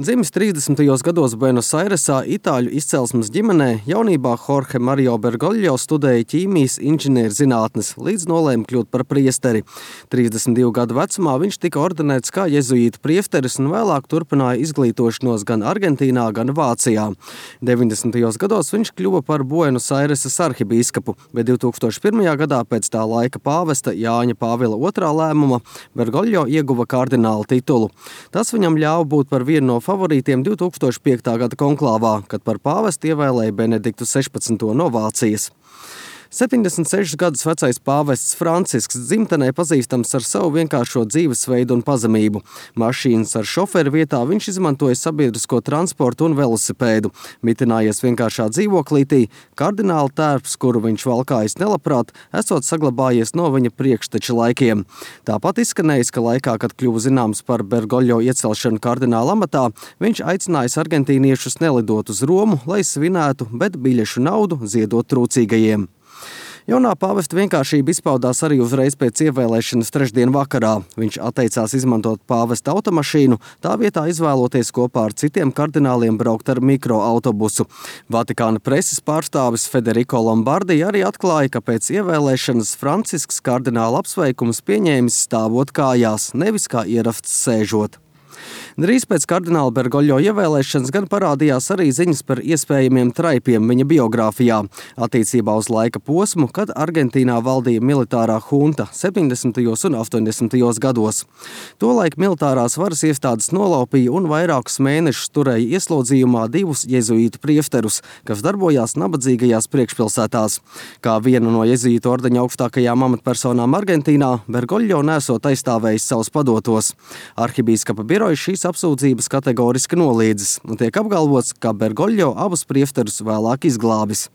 Dzimis 30. gados Buenos Airesā itāļu izcelsmes ģimenē, jaunībā Jorge Mario Bergoglio studēja ķīmijas inženierzinātnes, līdz nolēma kļūt par priesteri. 32 gadu vecumā viņš tika ordinēts kā jezuītu priesteris un vēlāk turpināja izglītošanos gan Argentīnā, gan Vācijā. 90. gados viņš kļuva par Buenos Aireses arhibīskapu, bet 2001. gadā pēc tā laika pāvesta Jāņa Pāvila II lēmuma Bergoglio ieguva kardināla titulu. Tas viņam ļāva būt par vienu no favorītiem 2005. gada konklāvā, kad par pāvestu ievēlēja Benediktu 16. no Vācijas. 76 gadus vecais pāvests Francisks dzimtenē pazīstams ar savu vienkāršo dzīvesveidu un pazemību. Mašīnas ar šoferu vietā viņš izmantoja sabiedrisko transportu un velosipēdu. Mitinājies vienkāršā dzīvoklītī, kardināla tērps, kuru viņš valkājis nelabprāt, esot saglabājies no viņa priekšteča laikiem. Tāpat izskanējis, ka laikā, kad kļuva zināms par Bergoglio iecelšanu kardināla amatā, viņš aicinājis argentīniešus nelidot uz Romu, lai svinētu, bet biļešu naudu ziedot trūcīgajiem. Jaunā pāvesta vienkāršība izpaudās arī uzreiz pēc ievēlēšanas trešdien vakarā. Viņš atteicās izmantot pāvesta automašīnu, tā vietā izvēloties kopā ar citiem kardināliem braukt ar mikroautobusu. Vatikāna preses pārstāvis Federico Lombardi arī atklāja, ka pēc ievēlēšanas Francisks kardināla apsveikumus pieņēmis stāvot kājās, nevis kā ierasts sēžot. Drīz pēc kardināla Bergoglio ievēlēšanas gan parādījās arī ziņas par iespējamiem traipiem viņa biogrāfijā, attiecībā uz laika posmu, kad Argentīnā valdīja militārā hunta 70. un 80. gados. Tolaik militārās varas iestādes nolaupīja un vairākus mēnešus turēja ieslodzījumā divus jezuītu priefterus, kas darbojās nabadzīgajās priekšpilsētās. Kā viena no jezuītu ordeņa augstākajām amatpersonām Argentīnā, Bergoglio nesot aizstāvējis savus padotos. Arhibīskapa birojs šīs apsūdzības kategoriski noliedzis un tiek apgalvots, ka Bergoglio abus priefterus vēlāk izglābis.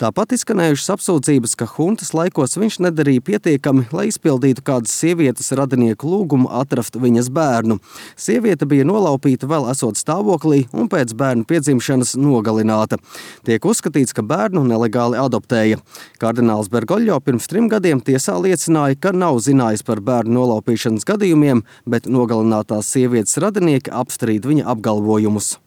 Tāpat izskanējušas apsūdzības, ka huntas laikos viņš nedarīja pietiekami, lai izpildītu kādas sievietes radinieku lūgumu atrast viņas bērnu. Sieviete bija nolaupīta vēl esot stāvoklī un pēc bērnu piedzimšanas nogalināta. Tiek uzskatīts, ka bērnu nelegāli adoptēja. Kardināls Bergoglio pirms 3 gadiem tiesā liecināja, ka nav zinājis par bērnu nolaupīšanas gadījumiem, bet nogalinātās sievietes radinieki apstrīd viņa apgalvojumus.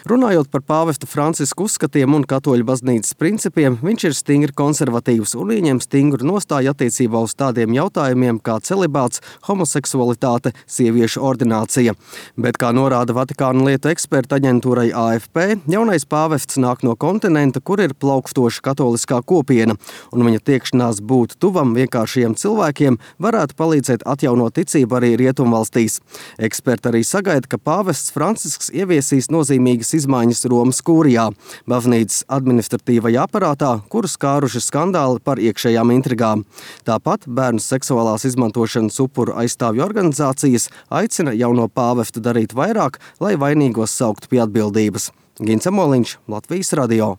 Runājot par pāvesta Francisku uzskatiem un katoļu baznīcas principiem, viņš ir stingri konservatīvs un ieņem stingru nostāju attiecībā uz tādiem jautājumiem kā celibāts, homoseksualitāte, sieviešu ordinācija. Bet, kā norāda Vatikāna lietu eksperta aģentūrai AFP, jaunais pāvests nāk no kontinenta, kur ir plaukstoša katoliskā kopiena, un viņa tiekšanās būt tuvam vienkāršajiem cilvēkiem varētu palīdzēt atjaunot ticību arī Rietumvalstīs. Eksperti arī sagaida, ka pāvests Francisks ieviesīs nozīmīgas izmaiņas Romas kūrijā, baznīcas administratīvajā aparātā, kuru skāruši skandāli par iekšējām intrigām. Tāpat bērnu seksuālās izmantošanas upuru aizstāvju organizācijas aicina jauno pāvestu darīt vairāk, lai vainīgos sauktu pie atbildības. Gints Amoliņš, Latvijas radio.